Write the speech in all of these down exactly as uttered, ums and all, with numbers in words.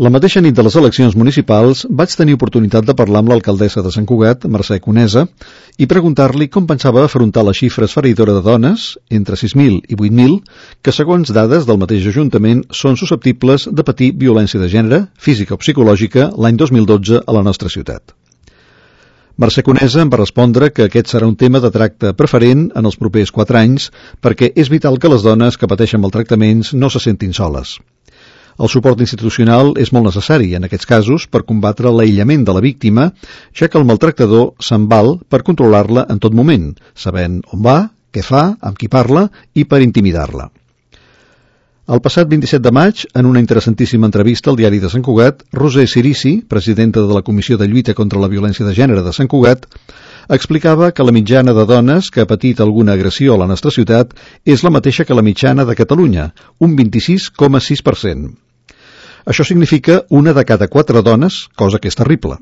La mateixa nit de les eleccions municipals vaig tenir oportunitat de parlar amb l'alcaldessa de Sant Cugat, Mercè Conesa, i preguntar-li com pensava afrontar la xifra esfereïdora de dones, entre sis mil i vuit mil, que segons dades del mateix Ajuntament són susceptibles de patir violència de gènere, física o psicològica, l'any dos mil dotze a la nostra ciutat. Mercè Conesa em va respondre que aquest serà un tema de tracte preferent en els propers quatre anys perquè és vital que les dones que pateixen maltractaments no se sentin soles. El suport institucional és molt necessari en aquests casos per combatre l'aïllament de la víctima, ja que el maltractador se'n val per controlar-la en tot moment, sabent on va, què fa, amb qui parla i per intimidar-la. El passat vint-i-set de maig, en una interessantíssima entrevista al diari de Sant Cugat, Roser Cirici, presidenta de la Comissió de Lluita contra la Violència de Gènere de Sant Cugat, explicava que la mitjana de dones que ha patit alguna agressió a la nostra ciutat és la mateixa que la mitjana de Catalunya, un vint-i-sis coma sis per cent. Això significa una de cada quatre dones, cosa que és terrible.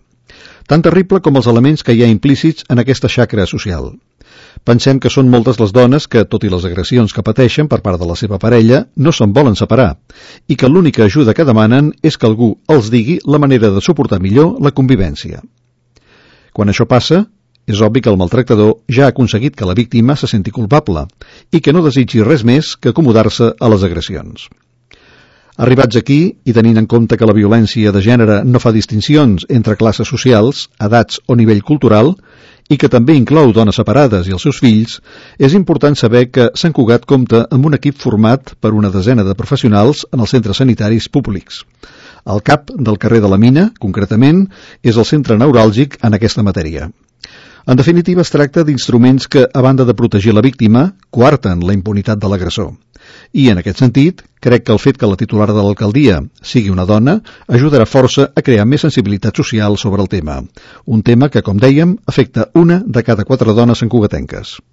Tan terrible com els elements que hi ha implícits en aquesta xacra social. Pensem que són moltes les dones que, tot i les agressions que pateixen per part de la seva parella, no se'n volen separar, i que l'única ajuda que demanen és que algú els digui la manera de suportar millor la convivència. Quan això passa, és obvi que el maltractador ja ha aconseguit que la víctima se senti culpable i que no desitgi res més que acomodar-se a les agressions. Arribats aquí, i tenint en compte que la violència de gènere no fa distincions entre classes socials, edats o nivell cultural, i que també inclou dones separades i els seus fills, és important saber que Sant Cugat compta amb un equip format per una desena de professionals en els centres sanitaris públics. El C A P del carrer de la Mina, concretament, és el centre neuràlgic en aquesta matèria. En definitiva, es tracta d'instruments que, a banda de protegir la víctima, coarten la impunitat de l'agressor. I, en aquest sentit, crec que el fet que la titular de l'alcaldia sigui una dona ajudarà força a crear més sensibilitat social sobre el tema. Un tema que, com dèiem, afecta una de cada quatre dones santcugatenques.